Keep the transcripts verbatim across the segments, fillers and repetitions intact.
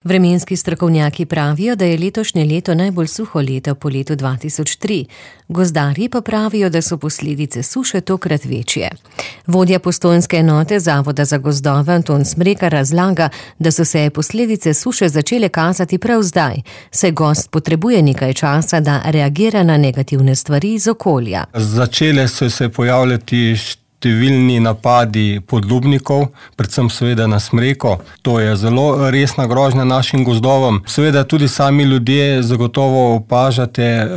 Vremenski strokovnjaki pravijo, da je letošnje leto najbolj suho leto po letu dva tisoč tri. Gozdarji pa pravijo, da so posledice suše tokrat večje. Vodja postojnske enote Zavoda za gozdove Anton Smrekar razlaga, da so se posledice suše začele kazati prav zdaj, saj gozd potrebuje nekaj časa, da reagira na negativne stvari iz okolja. Začele so se pojavljati številni napadi podlubnikov, predvsem seveda na smreko. To je zelo resna grožnja našim gozdovom. Seveda tudi sami ljudje zagotovo opažate eh,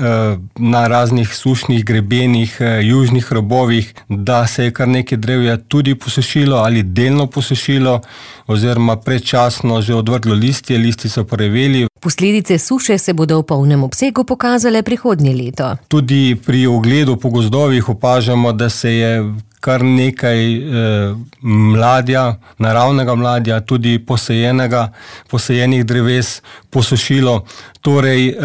na raznih sušnih grebenih, eh, južnih robovih, da se je kar nekaj drevja tudi posušilo ali delno posušilo oziroma predčasno že odvrglo listje, listi so poreveli. Posledice suše se bodo v polnem obsegu pokazale prihodnje leto. Tudi pri ogledu po gozdovih opažamo, da se je kar nekaj eh, mladja, naravnega mladja, tudi posajenega, posajenih dreves posušilo. Torej eh,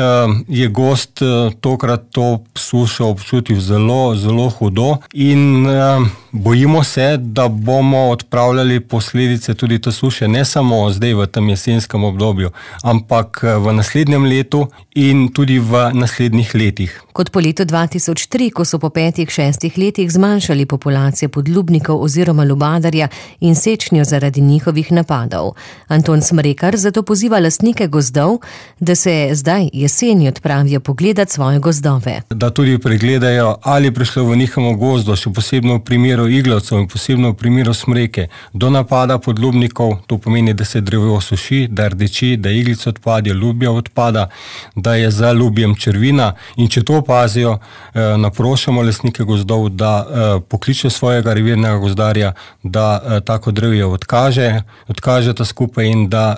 je gozd eh, tokrat to sušo občutil zelo, zelo hudo in eh, bojimo se, da bomo odpravljali posledice tudi te suše, ne samo zdaj v tem jesenskem obdobju, ampak v naslednjem letu in tudi v naslednjih letih. Kot po letu dva tisoč tri, ko so po petih, šestih letih zmanjšali populacijo podlubnikov oziroma lubadarja in sečnjo zaradi njihovih napadov. Anton Smrekar zato poziva lastnike gozdov, da se zdaj jeseni odpravijo pogledat svoje gozdove. Da tudi pregledajo, ali prišlo v njihovem gozdu, še posebno v primeru iglavcev in posebno v primeru smreke, do napada podlubnikov. To pomeni, da se drevo suši, da rdeči, da iglice odpadijo, lubja odpada, da je za lubjem črvina, in če to opazijo, naprošamo lastnike gozdov, da pokliče svojega revirnega gozdarja, da tako drevje odkaže, odkaže ta skupaj in da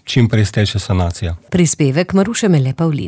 čim prej steče sanacija. Prispevek Maruše Mele Pavlin.